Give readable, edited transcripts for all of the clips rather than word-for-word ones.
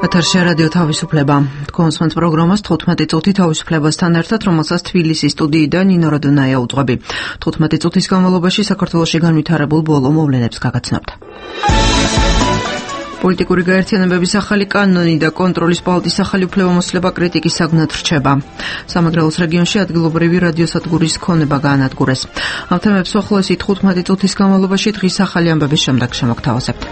ეთერში რადიო თავისუფლება. თქვენს პროგრამას 15 წუთი თავისუფლებასთან ერთად, რომელსაც თბილისის სტუდიიდან ნინო როდონაია უძღვები. 15 წუთის განმავლობაში საქართველოში განვითარებულ ბოლო მოვლენებს გაგაცნობთ. პოლიტიკური გაერთიანებების ახალი კანონი და კონტროლის პალატის ახალი უფლებამოსილება კრიტიკის საგნად რჩება. სამეგრელოს რეგიონში ადგილობრივი რადიოსადგურის ქონება გაანადგურეს. ამ თემებს უახლოესი 15 წუთის განმავლობაში დღის ახალი ამბების შემდეგ შემოგთავაზებთ.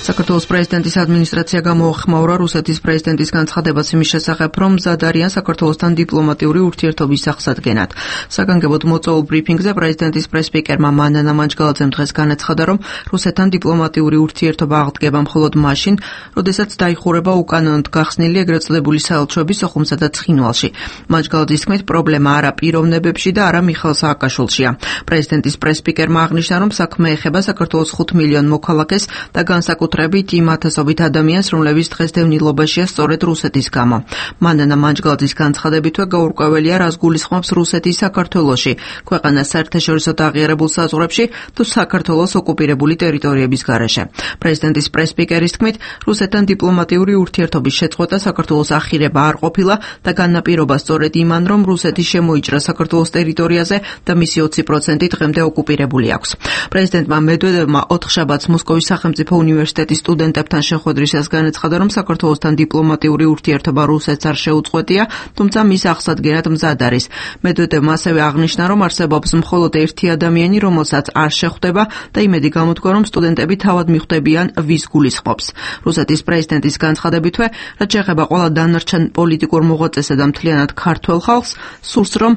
საქართველოს პრეზიდენტის ადმინისტრაცია გამოახმაურა რუსეთის პრეზიდენტის განცხადებაც იმის შესახებ, რომ მზად არიან საქართველოსთან დიპლომატიური ურთიერთობის აღსადგენად. საგანგებოდ მოწვეულ ბრიფინგზე პრეზიდენტის პრესსპიკერმა მანანა მანჯგალაძემ დღეს განაცხადა, რომ რუსეთთან დიპლომატიური ურთიერთობა აღდგება მხოლოდ მაშინ, როდესაც დაიხურება უკანონოდ გახსნილი ეგრეთ წოდებული საელჩოების სოხუმსა და ცხინვალში. მანჯგალაძის თქმით, პრობლემა არა პიროვნებებში და არა მიხეილ სააკაშვილშია. პრეზიდენტის პრესსპიკერმა აღნიშნა, რომ საქმე ეხება საქართველოს 5 მილიონ მოქალაქეს და განსაკუთრებით იმ ათასობით ადამიანს, რომლებიც დღესდღევნილობაშია სწორედ რუსეთის გამო. მანანა მანჯგალაძის განცხადებითვე გაურკვეველია, რას გულისხმობს რუსეთი საქართველოში, ქვეყანას საერთაშორისო აღიარებულ საზღვრებში თუ საქართველოს ოკუპირებული ტერიტორიების გარეშე. პრეზიდენტის პრესსპიკერის თქმით, რუსეთთან დიპლომატიური ურთიერთობის შეწყვეტა საქართველოს ახირება არ ყოფილა და განაპირობა სწორედ იმან, რომ რუსეთი შემოიჭრა საქართველოს ტერიტორიაზე და მისი 20% დღემდე ოკუპირებული აქვს. პრეზიდენტმა მედვედევმა 4 შაბათს მოსკოვის სახელმწიფო უნივერსიტეტის სტუდენტებთან შეხვედრისას განაცხადა, რომ საქართველოსთან დიპლომატიური ურთიერთობა რუსეთს არ შეუწყვეტია, თუმცა მის აღსადგენად მზად არის. მედვედევმა ასევე აღნიშნა, რომ არსებობს მხოლოდ ერთი ადამიანი, რომელსაც არ შეხვდება და იმედი გამოთქვა, რომ სტუდენტები თავად მიხვდებიან, ვის გულისხმობს. რუსეთის პრეზიდენტის განცხადებითვე, რაც შეეხება ყველა დანარჩენ პოლიტიკურ მოღვაწესა და მთლიანად ქართველ ხალხს, სურს რომ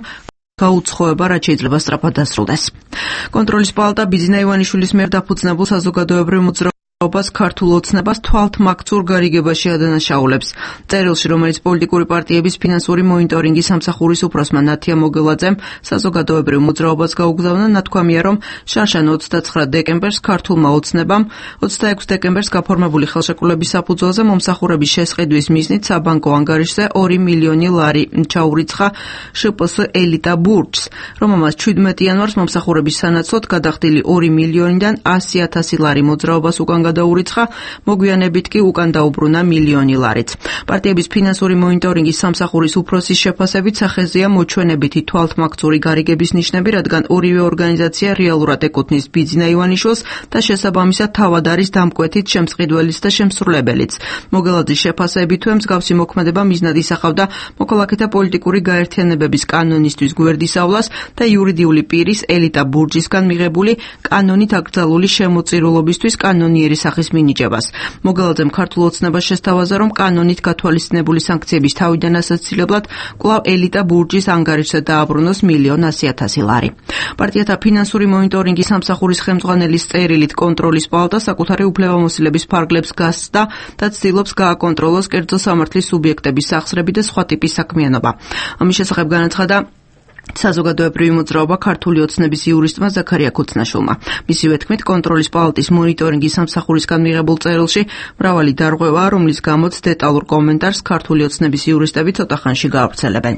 გაუცხოება, რაც შეიძლება სწრაფად დასრულდეს. კონტროლის პალატა ბიძინა ივანიშვილის მიერ დაფუძნებულ საზოგადოებრივ მოძრაობას ქართულ ოცნებას თვალთმაქცურ გარიგებაში ადანაშაულებს. წერილში, რომელიც პოლიტიკური პარტიების ფინანსური მონიტორინგის სამსახურის უფროსმა ნათია მოგელაძემ საზოგადოებრივ მოძრაობას გაუგზავნა, ნათქვამია, რომ შარშან 29 დეკემბერს ქართულმა ოცნებამ 26 დეკემბერს გაფორმებული ხელშეკრულების საფუძველზე მომსახურების შესყიდვის მიზნით საბანკო ანგარიშზე 2 მილიონი ლარი ჩაურიცხა შპს ელიტა ბურჯს, რომელმაც 17 იანვარს მომსახურების სანაცვლოდ გადახდილი 2 მილიონიდან 100,000 ლარი მოძრაობას უკან დაურიცხა, მოგვიანებით კი უკან დაუბრუნა მილიონი ლარიც. პარტიების ფინანსური მონიტორინგის სამსახურის უფროსის შეფასებით სახეზეა მოჩვენებითი თვალთმაქცური გარიგების ნიშნები, რადგან ორივე ორგანიზაცია რეალურად ეკუთვნის ბიძინა ივანიშვილს და შესაბამისად თავად არის დამკვეთით შემწყიდველიც და შემსრულებელიც. მოგელაძის შეფასებითვე მსგავსი მოქმედება მიზნად ისახავდა მოქალაქეთა პოლიტიკური გაერთიანებების კანონისთვის გვერდისავლას და იურიდიული პირის ელიტა ბურჯისგან მიღებული კანონით აკრძალული შემოწირულობისთვის კანონიერი სახის მინიჭებას. მოგელაძემ ქართულ ოცნებას შესთავაზა, რომ კანონით გათვალისწინებული სანქციების თავიდან ასაცილებლად კვლავ ელიტა ბურჯის ანგარიშზე დააბრუნოს 1,100,000 ლარი. პარტიათა ფინანსური მონიტორინგის სამსახურის ხელმძღვანელის წერილით კონტროლის პალატა საკუთარი უფლებამოსილების ფარგლებს გასცდა და ცდილობს გააკონტროლოს კერძო სამართლის სუბიექტების სახსრები და სხვა ტიპის საქმიანობა. ამის შესახებ განაცხადა საზოგადოებრივი მოძრაობა ქართული ოცნების იურისტმა ზაქარია ქუცნაშვილმა. მისივე თქმით, კონტროლის პალატის მონიტორინგის სამსახურისგან მიღებულ წერილში მრავალი დარღვევაა, რომლის გამოც დეტალურ კომენტარს ქართული ოცნების იურისტები ცოტა ხანში გაავრცელებენ.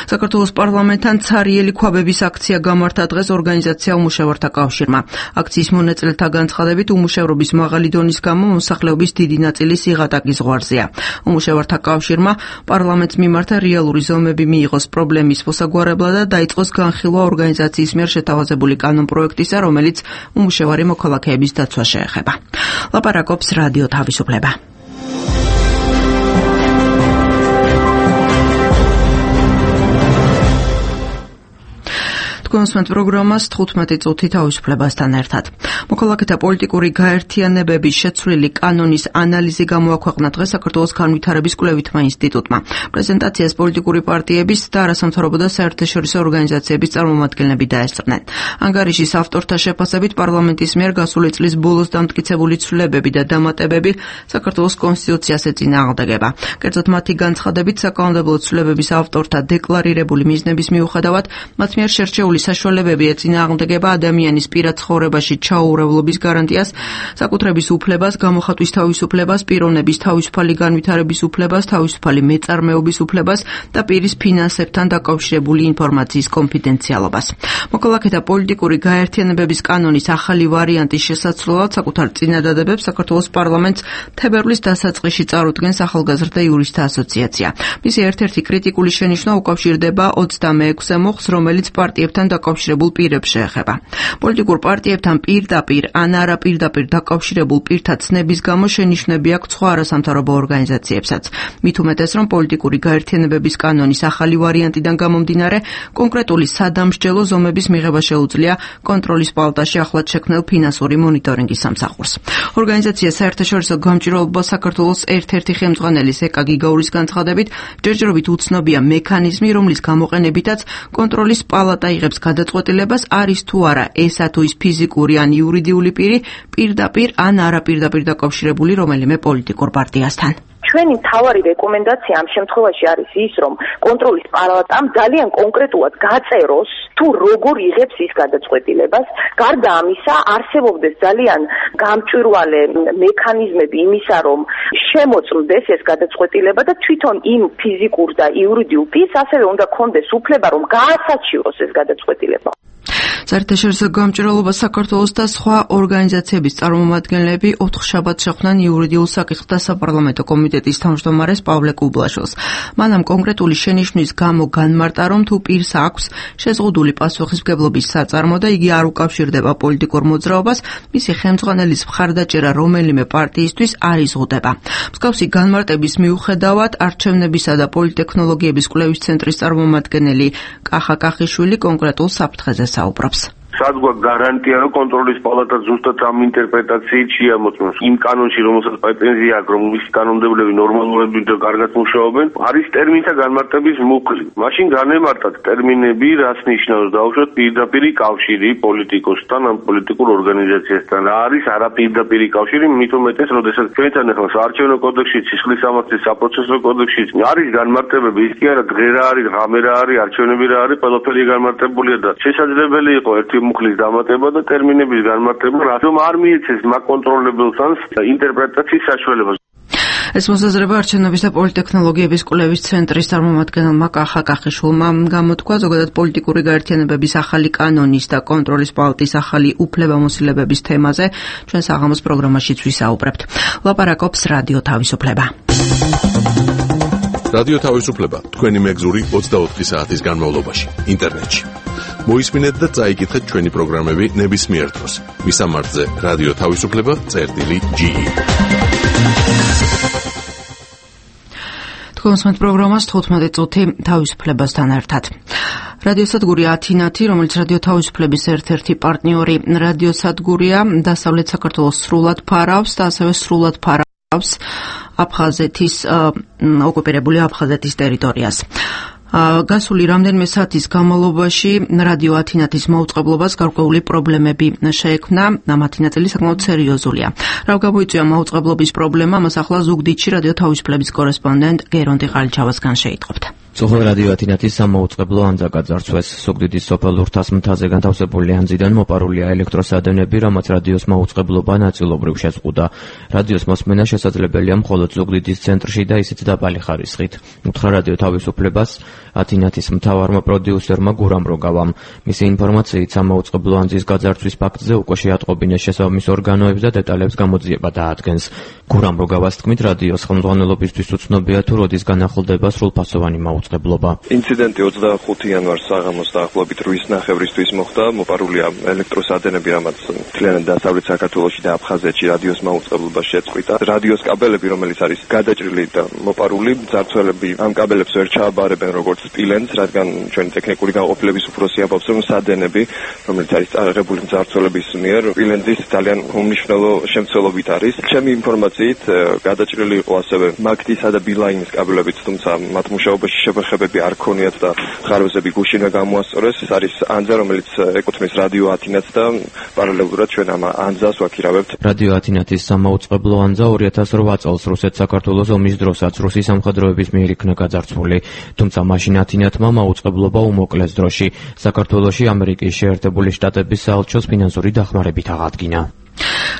საქართველოს პარლამენტთან ცარიელი ქვაბების აქცია გამართა დღეს ორგანიზაცია უმუშევართა კავშირმა. აქციის მონაწილეთა განცხადებით, უმუშევრობის მაღალი დონის გამო მოსახლეობის დიდი ნაწილი სიღატაკის ზღვარზეა. უმუშევართა კავშირმა პარლამენტს მიმართა რეალური ზომები მიიღოს პრობლემის მოსაგვარებლად და დაიწყოს განხილვა ორგანიზაციის მიერ შეთავაზებული კანონპროექტისა, რომელიც უმუშევარი მოქალაქეების დაცვას შეეხება. ლაპარაკობს რადიო თავისუფლება. თქვენს პროგრამას 15 წუთი თავისუფლებასთან ერთად. მოქალაქეთა პოლიტიკური გაერთიანებების შეცვლილი კანონის ანალიზი გამოაქვეყნა დღეს საქართველოს განვითარების კვლევითმა ინსტიტუტმა. პრეზენტაციას პოლიტიკური პარტიების და არასამთავრობო და საერთაშორისო ორგანიზაციების წარმომადგენლები დაესწრნენ. ანგარიშის ავტორთა შეფასებით პარლამენტის მიერ გასული წლის ბოლოს დამტკიცებული ცვლილებები და დამატებები საქართველოს კონსტიტუციას ეწინააღმდეგება. კერძოდ მათი განცხადებით, საკანონმდებლო ცვლილებების ავტორთა დეკლარირებული მიზნების მიუხედავად, მათ მიერ შერჩეული საშუალებები ეწინააღმდეგება ადამიანის პირად ცხოვრებაში ჩაურევლობის გარანტიას, საკუთრების უფლებას, გამოხატვის თავისუფლებას, პიროვნების თავისუფალი განვითარების უფლებას, თავისუფალი მეწარმეობის უფლებას და პირის ფინანსებთან დაკავშირებული ინფორმაციის კონფიდენციალობას. მოქალაქეთა პოლიტიკური გაერთიანებების კანონის ახალი ვარიანტის შესაცვლელად საკუთარ წინადადებებს საქართველოს პარლამენტს თებერვლის დასაწყისში წარუდგენს ახალგაზრდა იურისტთა ასოციაცია. მისი ერთ-ერთი კრიტიკული შენიშვნა უკავშირდება 26 მოხს, რომელიც პარტიებთან დაკავშირებულ პირებს შეეხება. პოლიტიკურ პარტიებთან პირდაპირ ან არაპირდაპირ დაკავშირებულ პირთა ცნების გამო შენიშვნები აქვს სხვა არასამთავრობო ორგანიზაციებსაც. მით უმეტეს, რომ პოლიტიკური გაერთიანებების კანონის ახალი ვარიანტიდან გამომდინარე, კონკრეტული სადამსჯელო ზომების მიღება შეუძლია კონტროლის პალატაში ახლად შექმნილ ფინანსური მონიტორინგის სამსახურს. ორგანიზაცია საერთაშორისო გამჭირვალობას საქართველოს ერთ-ერთი ხელმძღვანელის ეკა გიგაურის განცხადებით, ჯერჯერობით უცნობია მექანიზმი, რომლის გამოყენებითაც კონტროლის პალატა იღებს გადაწყვეტილებას, არის თუ არა ესა თუ ის ფიზიკური ან იურიდიული პირი პირდაპირ ან არაპირდაპირ დაკავშირებული რომელიმე პოლიტიკურ პარტიასთან. ჩვენი მთავარი რეკომენდაცია ამ შემთხვევაში არის ის, რომ კონტროლის პალატამ ძალიან კონკრეტულად გაწეროს, თუ როგორ იღებს ის გადაწყვეტილებას. გარდა ამისა, არსებობდეს ძალიან გამჭვირვალე მექანიზმები იმისა, რომ შემოწმდეს ეს გადაწყვეტილება და თვითონ იმ ფიზიკურ და იურიდიულ პირს ასევე უნდა ქონდეს უფლება, რომ გაასაჩივროს ეს გადაწყვეტილება. საერთაშორისო გამჭვირვალობა საქართველოს და სხვა ორგანიზაციების წარმომადგენლები ოთხშაბათს შეხვდნენ იურიდიულ საკითხთა საპარლამენტო კომიტეტის თავმჯდომარეს პავლე კუბლაშვილს. მან ამ კონკრეტული შენიშვნის გამო განმარტა, რომ თუ პირს აქვს შეზღუდული პასუხისმგებლობის საწარმო და იგი არ უკავშირდება პოლიტიკურ მოძრაობას, მისი ხელმძღვანელის მხარდაჭერა რომელიმე პარტიისთვის არ იზღუდება. მსგავსი განმარტების მიუხედავად, არჩევნებისა და პოლიტექნოლოგიების კვლევის ცენტრის წარმომადგენელი კახა კახიშვილი კონკრეტულ საფრთხეზე საუბრობს. სადგვა გარანტია, რომ კონტროლის პალატა ზუსტად ამ ინტერპრეტაციით შეამოწმოს. იმ კანონში, რომელსაც პრეტენზია აქვს, რომ მისი კანონმდებლები ნორმალურები და კარგად მუშაობენ, არის ტერმინთა განმარტების მუხლი. მაშინ განემარტათ ტერმინები, რას ნიშნავს დავუშვათ პირდაპირი კავშირი პოლიტიკოსთან ან პოლიტიკურ ორგანიზაციასთან. რა არის არაპირდაპირი კავშირი, მით უმეტეს, როდესაც ჩვენთან ახლა საარჩევნო კოდექსში, სისხლის სამართლის საპროცესო კოდექსში არის განმარტებები, ის კი არა დღე რა არის, ღამე რა არის, არჩევნები რა არის, ყველაფერი განმარტებულია და შესაძლებელი იყო ერთი მუხლის დამატება და ტერმინების განმარტება, რადგან არ მიეცეს მაკონტროლებელს ინტერპრეტაციის საშუალებას. ეს მოსაზრება არჩევნების და პოლიტექნოლოგიების კვლევის ცენტრის წარმომადგენელმა კახა კახიშვილმა გამოთქვა. ზოგადად პოლიტიკური გაერთიანებების ახალი კანონის და კონტროლის პალატის ახალი უფლებამოსილებების თემაზე ჩვენ საღამოს პროგრამაშიც ვისაუბრებთ. ლაპარაკობს რადიო თავისუფლება. რადიო თავისუფლება თქვენი მეგზური 24 საათის განმავლობაში ინტერნეტში. მოისმინეთ და წაიკითხეთ ჩვენი პროგრამები ნებისმიერ დროს. მისამართზე რადიო თავისუფლება.ge. თქვენს პროგრამას 15 წუთი თავისუფლებასთან ერთად. რადიოსადგური ათინათი, რომელიც რადიო თავისუფლების ერთ-ერთი პარტნიორი რადიოსადგურია, დასავლეთ საქართველოს სრულად ფარავს და ასევე სრულად ფარავს აფხაზეთის ოკუპირებული აფხაზეთის ტერიტორიას. გასული რამდენიმე საათის განმავლობაში რადიო ათინათის მაუწყებლობას გარკვეული პრობლემები შეექმნა, ამათი ნაწილი საკმაოდ სერიოზულია. რა გამოიწვია მაუწყებლობის პრობლემა, მას ახლა ზუგდიდში რადიო თავისუფლების კორესპონდენტ გერონტი ყალიჩავასგან შეიტყობთ. სოხალ რადიო ათინათის სამაუწყებლო ანძა გაძარცვეს. ზუგდიდის სოფელ ურთას მთაზე განთავსებული ანძიდან მოპარულია ელექტროსადენები, რამაც რადიოს მაუწყებლობა ნაწილობრივ შეზღუდა. რადიოს მოსმენა შესაძლებელია მხოლოდ ზუგდიდის ცენტრში და ისიც დაბალი ხარისხით. უთხრა რადიო თავისუფლებას ათინათის მთავარმა პროდიუსერმა გურამ როგავამ. მისი ინფორმაციით სამაუწყებლო ანძის გაძარცვის ფაქტზე უკვე შეატყობინეს შესაბამის ორგანოებს და დეტალებს გამოძიება დაადგენს. გურამ როგავას თქმით, რადიოს ხელმძღვანელობისთვის უცნობია თუ როდის განახლდება სრულფასოვანი მაუწყებლობა. ინციდენტი 25 იანვარს საღამოს დაახლოებით 8:30-ისთვის მოხდა. მოპარულია ელექტროსადენები, რამაც მთლიანად დასავლეთ საქართველოში და აფხაზეთში რადიოს მაუწყებლობა შეწყვიტა. რადიოს კაბელები, რომელიც არის გადაჭრილი და მოპარული, მძარცველები ამ კაბელებს ვერ ჩააბარებენ როგორც სპილენძს, რადგან ჩვენი ტექნიკური გაყოფილების უფროსი ამბობს, რომ სადენები, რომელიც არის წარაღებული მძარცველების მიერ, სპილენძის ძალიან უმნიშვნელო შემცველობით არის. ჩემი ინფორმაციით, გადაჭრილი იყო ასევე მაგდისა და ბილაინის კაბელებიც, თუმცა მათ მუშაობაში შეხვედრები არ ქონიათ და ხარვეზები გუშინვე გამოასწორეს. ეს არის ანძა, რომელიც ეკუთვნის რადიო ათინათს და პარალელურად ჩვენ ამ ანძას ვაქირავებთ. რადიო ათინათის სამაუწყებლო ანძა 2008 წელს რუსეთ-საქართველოს ომის დროსაც რუსი სამხედროების მიერ იქნა გაძარცვული, თუმცა მაშინ ათინათმა მაუწყებლობა უმოკლეს დროში საქართველოში ამერიკის შეერთებული შტატების საელჩოს ფინანსური დახმარებით აღადგინა.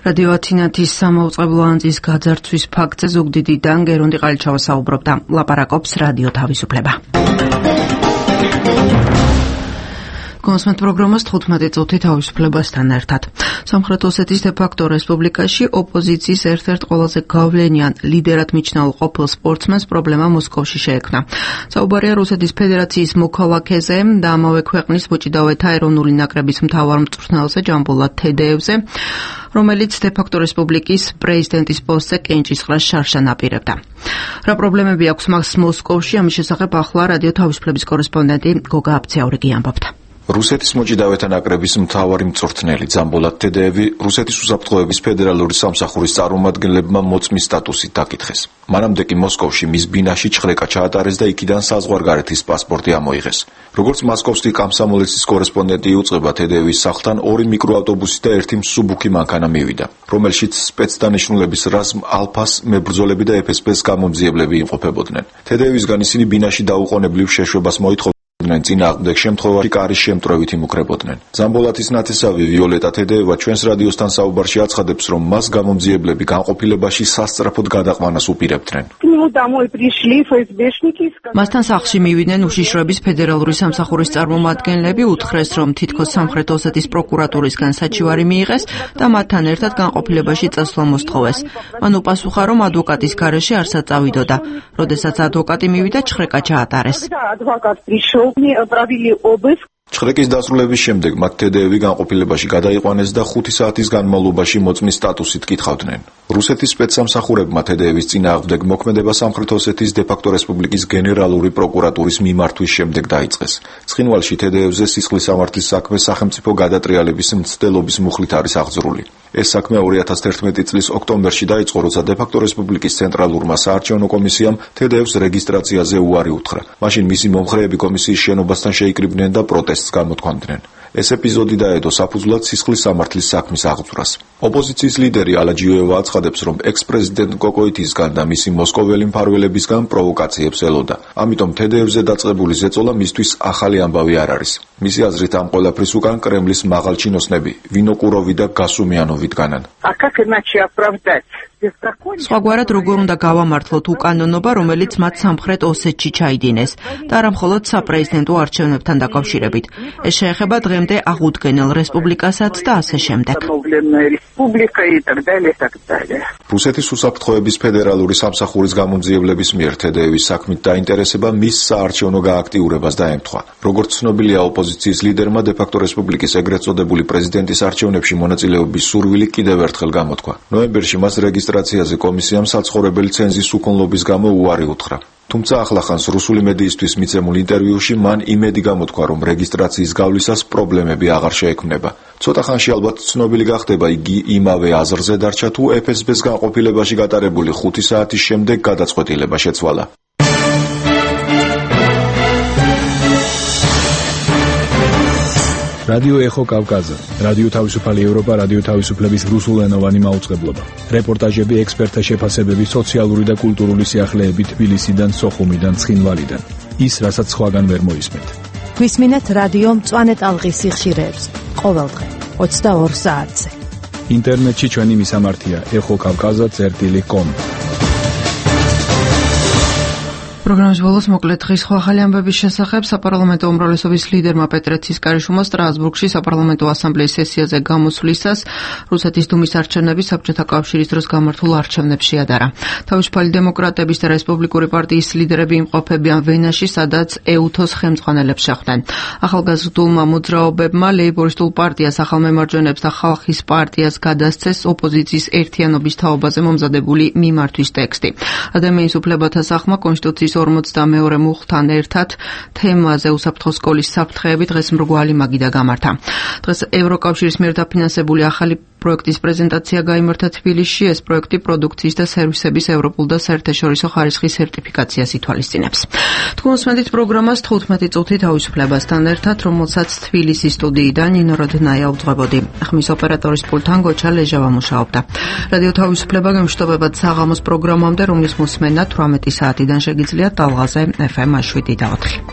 რადიო ათინათის სამაუწყებლო ანძის გაძარცვის ფაქტზე ზუგდიდიდან გერონდი ყალიჩავა საუბრობდა. ლაპარაკობს რადიო თავისუფლება. კონსმეთ პროგრამას 15 წუთი თავისუფლებასთან ერთად. სამხრეთ ოსეთის დე-ფაქტო რესპუბლიკაში ოპოზიციის ერთ-ერთ ყველაზე გავლენიან ლიდერად მიჩნეულ ყოფილ სპორტსმენს პრობლემა მოსკოვში შეექმნა. საუბარია რუსეთის ფედერაციის მოქალაქეზე და ამავე ქვეყნის მოჭიდავეთა ეროვნული ნაკრების მთავარ მწვრთნელზე ჯამბულად თედეევზე, რომელიც დე-ფაქტო რესპუბლიკის პრეზიდენტის პოსტზე კენჭისყრას შარშან აპირებდა. რა პრობლემები აქვს მას მოსკოვში, ამის შესახებ ახლა რადიო თავისუფლების კორესპონდენტი გოგა აბცეაურიგი ამბობდა. რუსეთის მოჭიდავეთა ნაკრების მთავარი მწვრთნელი ჯამბულად თედეევი რუსეთის უსაფრთხოების ფედერალური სამსახურის წარმომადგენლებმა მოწმის სტატუსით დაკითხეს. მანამდე კი მოსკოვში მის ბინაში ჩხრეკა ჩაატარეს და იქიდან საზღვარგარეთის პასპორტი ამოიღეს. როგორც მოსკოვსკი კომსომოლეცის კორესპონდენტი იუწყება, თედეევის სახლთან 2 მიკროავტობუსი და 1 მსუბუქი მანქანა მივიდა, რომელშიც სპეცდანიშნულების რაზმ ალფას მებრძოლები და FSB-ს გამომძიებლები იმყოფებოდნენ. თედეევისგან ისინი ბინაში დაუყოვნებლივ შეშვებას მოითხოვდნენ. წინააღმდეგ შემთხვევაში კარის შემტრევით იმუქრებოდნენ. ჯამბოლათის ნათესავი ვიოლეტა თედეევა ჩვენს რადიოსთან საუბარში აცხადებს, რომ მას გამომძიებლები განყოფილებაში სასწრაფოდ გადაყვანას უპირებდნენ. მასთან სახლში მივიდნენ უშიშროების ფედერალური სამსახურის წარმომადგენლები, უთხრეს, რომ თითქოს სამხრეთ ოსეთის პროკურატურისგან საჩივარი მიიღეს და მათთან ერთად განყოფილებაში წასვლა მოსთხოვეს. მან უპასუხა, რომ ადვოკატის გარეშე არსად წავიდოდა. როდესაც ადვოკატი მივიდა, ჩხრეკა ჩაატარეს. ჩხრეკის დასრულების შემდეგ მათ თედეევი განყოფილებაში გადაიყვანეს და 5 საათის განმავლობაში მოწმის სტატუსით კითხავდნენ. რუსეთის სპეცსამსახურებმა თედეევის წინააღმდეგ მოქმედება სამხრეთ ოსეთის დე-ფაქტო რესპუბლიკის გენერალური პროკურატურის მიმართვის შემდეგ დაიწყეს. ცხინვალში თედეევზე სისხლის სამართლის საქმე სახელმწიფო გადატრიალების მცდელობის მუხლით არის აღძრული. ეს საქმე 2011 წლის ოქტომბერში დაიწყო, როცა დე-ფაქტო რესპუბლიკის ცენტრალურმა საარჩევნო კომისიამ თედეევს რეგისტრაციაზე უარი უთხრა. მაშინ მისი მომხრეები კომისიის შენობასთან შეიკრიბნენ და პროტესტს გამოთქვამდნენ. ეს ეპიზოდი დაედო საფუძვლად სისხლის სამართლის საქმის აღძვრას. ოპოზიციის ლიდერი ალაჯიოევა აცხადებს, რომ ექს-პრეზიდენტ კოკოიტისგან და მისი მოსკოველი მფარველებისგან პროვოკაციებს ელოდა. ამიტომ თედეევზე დაწყებული ზეწოლა მისთვის ახალი ამბავი არ არის. მისი აზრით ამ ყველაფრის უკან კრემლის მაღალჩინოსნები ვინოკუროვი და გასუმიანოვი დგანან. სხვაგვარად როგორ უნდა გავამართლოთ უკანონობა, რომელიც მათ სამხრეთ ოსეთში ჩაიდინეს და არა მხოლოდ საპრეზიდენტო არჩევნებთან დაკავშირებით. ეს შეეხება დღემდე აღუდგენელ რესპუბლიკასაც და ასე შემდეგ. რუსეთის უსაფრთხოების ფედერალური სამსახურის გამომძიებლების მიერ თედეევის საქმით დაინტერესება მის საარჩევნო გააქტიურებას დაემთხვა. როგორც ცნობილია, ოპოზიციის ლიდერმა დე-ფაქტო რესპუბლიკის ეგრეთ წოდებული პრეზიდენტის არჩევნებში მონაწილეობის სურვილი კიდევ ერთხელ გამოთქვა. ნოემბერში მას რეგისტრაციაზე კომისიამ საცხოვრებელი ცენზის უქონლობის გამო უარი უთხრა. თუმცა ახლახანს რუსული მედიისთვის მიცემულ ინტერვიუში მან იმედი გამოთქვა, რომ რეგისტრაციის გავლისას პრობლემები აღარ შეექმნება. ცოტა ხანში ალბათ ცნობილი გახდება, იგი იმავე აზრზე დარჩა თუ FSB-ს განყოფილებაში გატარებული 5 საათის შემდეგ გადაწყვეტილება შეცვალა. რადიო ეხო კავკაზა, რადიო თავისუფალი ევროპა, რადიო თავისუფლების რუსულენოვანი მაუწყებლობა. რეპორტაჟები, ექსპერტთა შეფასებები, სოციალური და კულტურული სიახლეები თბილისიდან, სოხუმიდან, ცხინვალიდან. ის, რასაც სხვაგან ვერ მოისმენთ. გვისმინეთ რადიო მწვანე ტალღის სიხშირეებს ყოველდღე 22 საათზე. ინტერნეტში ჩვენი მისამართია ეხოკავკაზა.com. პროგრამის ბოლოს მოკლედ დღის სხვა ახალი ამბების შესახებ საპარლამენტო უმრავლესობის ლიდერმა პეტრე ცისკარიშვილმა სტრასბურგში საპარლამენტო ასამბლეის სესიაზე გამოსვლისას რუსეთის დუმის არჩევნები საბჭოთა კავშირის დროს გამართულ არჩევნებს შეადარა. თავისუფალი დემოკრატების და რესპუბლიკური პარტიის ლიდერები იმყოფებიან ვენაში, სადაც ეუთოს ხელმძღვანელებს შეხვდნენ. ახალგაზრდულმა მოძრაობებმა ლეიბორისტულ პარტიას, ახალმემარჯვენეებს და ხალხის პარტიას გადასცეს ოპოზიციის ერთიანობის თაობაზე მომზადებული მიმართვის ტექსტი. ადამიანის უფლებათა სახმა კონსტიტუციის 42 მუხლთან ერთად თემაზე უსაფრთხო სკოლის საფრთხეები დღეს მრგვალი მაგიდა გამართა. დღეს ევროკავშირის მიერ დაფინანსებული ახალი პროექტის პრეზენტაცია გაიმართა თბილისში. ეს პროექტი პროდუქციის და სერვისების ევროპულ და საერთაშორისო ხარისხის სერტიფიკაციას ითვალისწინებს. თქვენ მოსმენთ პროგრამას 15 წუთი თავისუფლებასთან ერთად, რომელსაც თბილისის სტუდიიდან ნინო როდნაია უძღვებოდი. ხმის ოპერატორის პულტთან გოჩა ლეჟავა მუშაობდა. რადიო თავისუფლება გემშვიდობებად საღამოს პროგრამამდე, რომლის მოსმენა 18 საათიდან შეგიძლიათ ტალღაზე FM 7 და 4.